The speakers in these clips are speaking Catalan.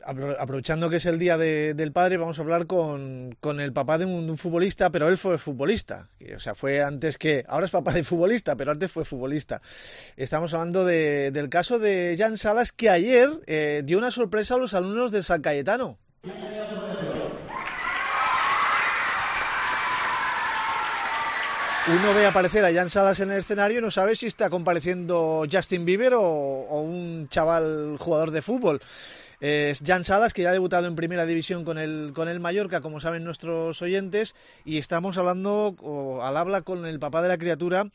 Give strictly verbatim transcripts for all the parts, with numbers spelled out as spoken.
Aprovechando que es el Día de, del Padre, vamos a hablar con, con el papá de un, de un futbolista, pero él fue futbolista. O sea, fue antes que... Ahora es papá de futbolista, pero antes fue futbolista. Estamos hablando de, del caso de Jan Salas, que ayer eh, dio una sorpresa a los alumnos de San Cayetano. Uno ve aparecer a Jan Salas en el escenario y no sabe si está compareciendo Justin Bieber o, o un chaval jugador de fútbol. Es Jan Salas, que ya ha debutado en Primera División con el, con el Mallorca, como saben nuestros oyentes, y estamos hablando o, al habla con el papá de la criatura,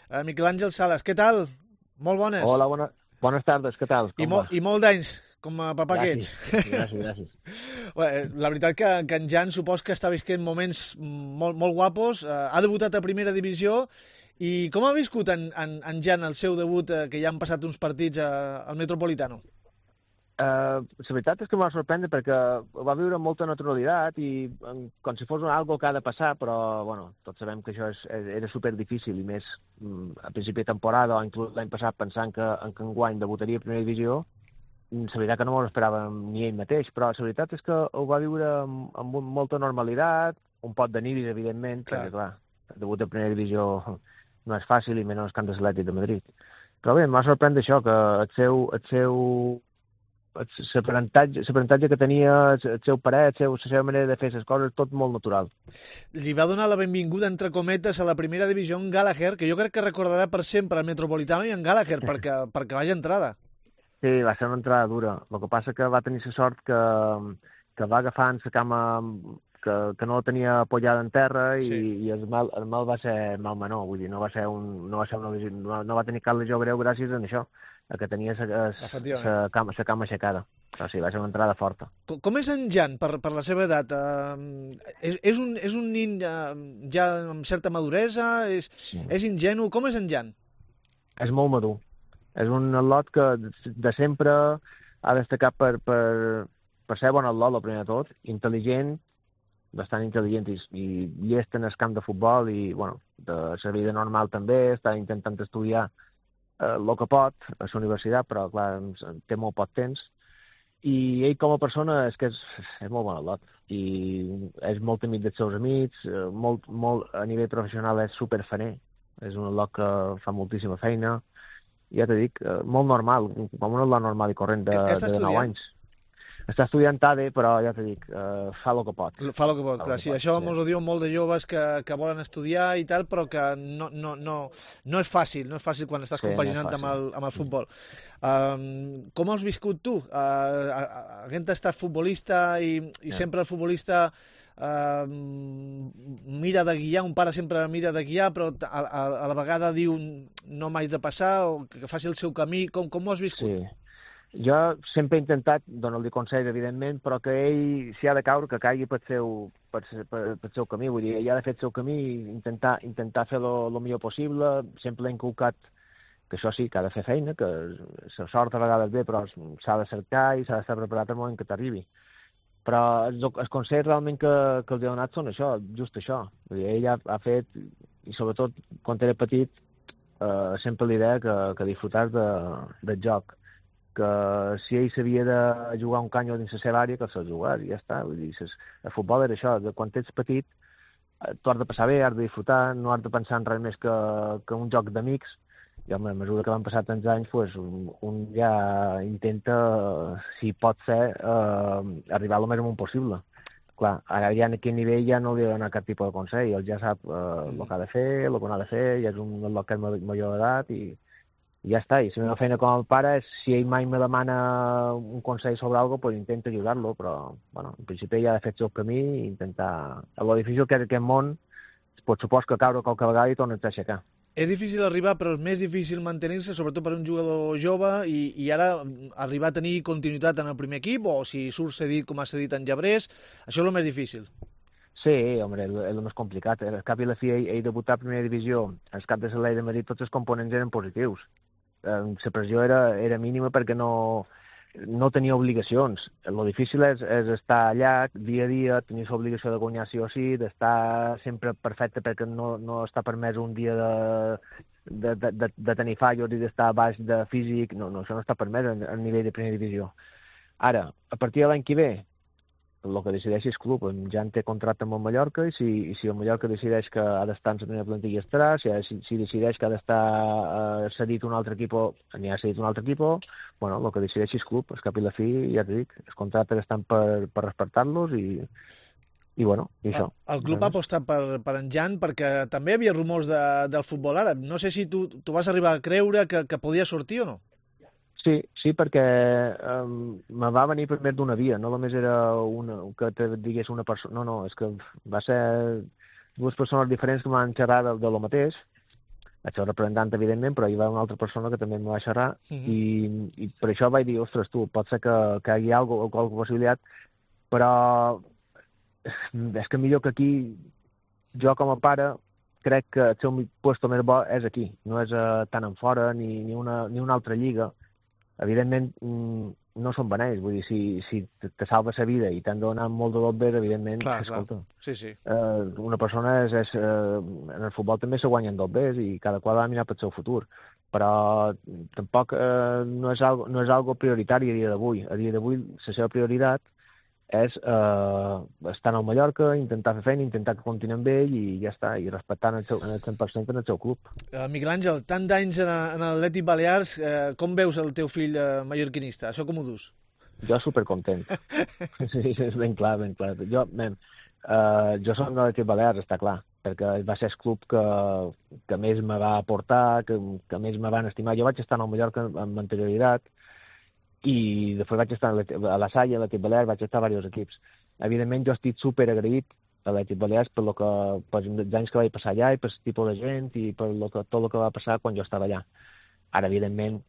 eh, Miquel Àngel Salas. Què tal? Molt bones. Hola, bona, bones tardes, què tal? I, Com mo, va? I molt d'anys, com a papà Gràcies, que ets. gràcies, gràcies. La veritat que, que en Jan supos que està visquent moments molt, molt guapos, eh, ha debutat a Primera Divisió, i com ha viscut en, en, en Jan el seu debut, eh, que ja han passat uns partits a, al Metropolitano? Uh, la veritat és que m'ha sorprendre perquè va viure amb molta naturalitat i um, com si fos una algo que ha de passar, però bueno, tots sabem que això és, era super difícil i més um, a principi de temporada o inclús l'any passat pensant que en que enguany debutaria a Primera Divisió. La veritat que no m'ho esperàvem ni ell mateix, però la veritat és que ho va viure amb, amb molta normalitat, un pot de nivis, evidentment, clar. perquè clar, el debut a Primera Divisió no és fàcil i menys que en l'Atlètic de Madrid. Però bé, m'ha sorprendre això, que el seu, el seu l'aprenentatge que tenia, el seu parer, el seu, la seva manera de fer les coses, tot molt natural. Li va donar la benvinguda, entre cometes, a la Primera Divisió en Gallagher, que jo crec que recordarà per sempre el Metropolitano i en Gallagher, perquè, perquè vagi entrada. Sí, va ser una entrada dura. El que passa que va tenir la sort que, que va agafar en la cama que, que no la tenia apoyada en terra i, sí. i el, mal, el mal va ser mal menor, vull dir, no va ser un, no va, ser una, no, no va tenir cap lesió greu gràcies a això, que tenia la cama, cama aixecada. Però sí, va ser una entrada forta. Com, com és en Jan, per, per la seva edat? Uh, és, és, un, és un nin uh, ja amb certa maduresa? És, sí. és ingenu? Com és en Jan? És molt madur. És un atlot que de sempre ha destacat per, per, per ser bon atlot, el primer de tot, intel·ligent, bastant intel·ligent i, i llest en el camp de futbol i, bueno, de la vida normal també, està intentant estudiar eh, el que pot a la universitat, però, clar, té molt poc temps. I ell com a persona és que és, és molt bon atlot i és molt amic dels seus amics, molt, molt, a nivell professional és superfaner, és un atlot que fa moltíssima feina. Ja t'he dit, molt normal, com un atlot normal i corrent de, de nou anys. Està estudiant A D E, però ja t'he dit, uh, fa el que pot. Fa el que pot, clar. Sí, això sí. Mos ho diuen molt de joves que, que volen estudiar i tal, però que no, no, no, no és fàcil, no és fàcil quan estàs sí, compaginant no amb, el, amb el futbol. Um, com has viscut tu? Uh, havent estat futbolista i, i sí. sempre el futbolista Uh, mira de guiar, un pare sempre mira de guiar, però a, a, a la vegada diu no m'haig de passar o que faci el seu camí. Com, com ho has viscut? Sí. Jo sempre he intentat donar-li consells, evidentment, però que ell, si ha de caure, que caigui pel seu, pel, pel, pel seu camí. Vull dir, ell ha de fer el seu camí i intentar, intentar fer el millor possible. Sempre l'he inculcat que això sí, que ha de fer feina, que la sort a vegades ve, però s'ha de cercar i s'ha d'estar preparat al moment que t'arribi. Però els, els consells realment que, que els he donat són això, just això. Vull dir, ell ha, ha fet, i sobretot quan era petit, eh, sempre l'idea que, que disfrutar de, del joc. Que si ell sabia de jugar un canyo dins la seva àrea, que se'l jugar, i ja està. Vull dir, el futbol era això, de quan ets petit, tu has de passar bé, has de disfrutar, no has de pensar en res més que, que un joc d'amics. I home, a mesura que van passar tants anys, pues, un, un ja intenta, si pot ser, eh, arribar al més amunt possible. Clar, ara ja en aquell nivell ja no li ha de donar cap tipus de consell, ell ja sap eh, mm. el que ha de fer, el que no ha de fer, ja és un atlot que és major d'edat i, i ja està. I la meva feina com a pare és, si ell mai me demana un consell sobre alguna cosa, pues intento ajudar-lo, però bueno, en principi ja ha de fer el seu camí i intentar... El difícil que és aquest món, pot supos que caure qualque vegada i tornar-te a aixecar. És difícil arribar, però és més difícil mantenir-se, sobretot per un jugador jove, i, i ara arribar a tenir continuïtat en el primer equip, o si surt cedit com ha cedit en Llebrés, això és el més difícil. Sí, home, és el més complicat. Al cap i la fi, ell, ell debutar a primera divisió, al cap de l'Atlètic de Madrid, tots els components eren positius. La pressió era, era mínima perquè no, no tenia obligacions. El difícil és, és estar allà dia a dia, tenir l'obligació de guanyar sí o sí, d'estar sempre perfecte perquè no, no està permès un dia de, de, de, de, de tenir fallos i d'estar baix de físic. No, no, això no està permès a, a nivell de primera divisió. Ara, a partir de l'any que ve, el que decideixi el club, ja en té contracte amb el Mallorca, i si, i si el Mallorca decideix que ha d'estar en la primera plantilla estarà, si, si, si decideix que ha d'estar eh, cedit un altre equip, n'hi ha cedit un altre equip, bueno, el que decideixi el club, al cap i la fi, ja t'ho dic, els contractes estan per, per respectar-los i, i bueno, i això. El, el club ha apostat per, per en Jan perquè també hi havia rumors de, del futbol àrab. No sé si tu, tu vas arribar a creure que, que podia sortir o no. Sí, sí, perquè um, me va venir primer d'una via, no només era una, que te digués una persona, no, no, és que va ser dues persones diferents que m'han xerrat de, de lo mateix, vaig ser representant, evidentment, però hi va una altra persona que també em va xerrar, uh -huh. i, i per això vaig dir, ostres, tu, pot ser que, que hi hagi alguna, alguna possibilitat, però és que millor que aquí, jo com a pare, crec que el seu puesto més bo és aquí, no és uh, tant en fora ni, ni, una, ni una altra lliga. Evidentment, no són beneis, vull dir, si, si te salves la vida i t'han de donar molt de lot bé, evidentment, clar, escolta, clar. Sí, sí. Eh, una persona és, és eh, en el futbol també se guanyen dos bé i cada qual ha de mirar pel seu futur, però tampoc eh, no, és algo, no és algo prioritari a dia d'avui. A dia d'avui la seva prioritat és eh, estar al Mallorca, intentar fer feina, intentar que continuï amb ell i ja està, i respectant el, seu, el cent per cent en el seu club. Uh, Miguel Àngel, tant d'anys en, en l'Atlètic Balears, eh, com veus el teu fill eh, mallorquinista? Això com ho dus? Jo supercontent. Sí, és ben clar, ben clar. Jo, ben, uh, jo soc de l'Atlètic Balears, està clar, perquè va ser el club que, que més me va aportar, que, que més me van estimar. Jo vaig estar al Mallorca amb anterioritat, i després vaig estar a la Salle, a l'Atlètic Balears, vaig estar a diversos equips. Evidentment, jo estic super agraït a l'Atlètic Balears per lo que, per els anys que vaig passar allà i per el tipus de gent i per lo que, tot el que va passar quan jo estava allà. Ara, evidentment,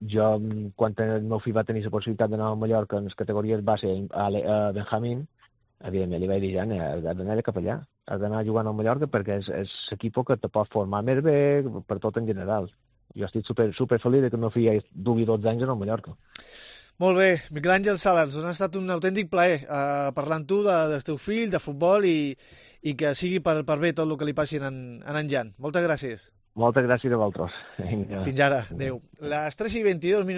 jo, quan el meu fill va tenir la possibilitat d'anar a Mallorca en les categories base a, a Benjamín, evidentment li vaig dir, ja, has d'anar cap allà, has d'anar jugant a Mallorca perquè és, és l'equip que te pot formar més bé per tot en general. Jo estic super, super feliç que el meu fill dugui dotze anys en el Mallorca. Molt bé, Miquel Àngel Sales, doncs ha estat un autèntic plaer eh, parlar amb tu de, del teu fill, de futbol i, i que sigui per, per bé tot el que li passi en, en en Jan. Moltes gràcies. Moltes gràcies a vosaltres. Vinga. Fins ara. Adéu. Les tres i vint-i-dos minuts.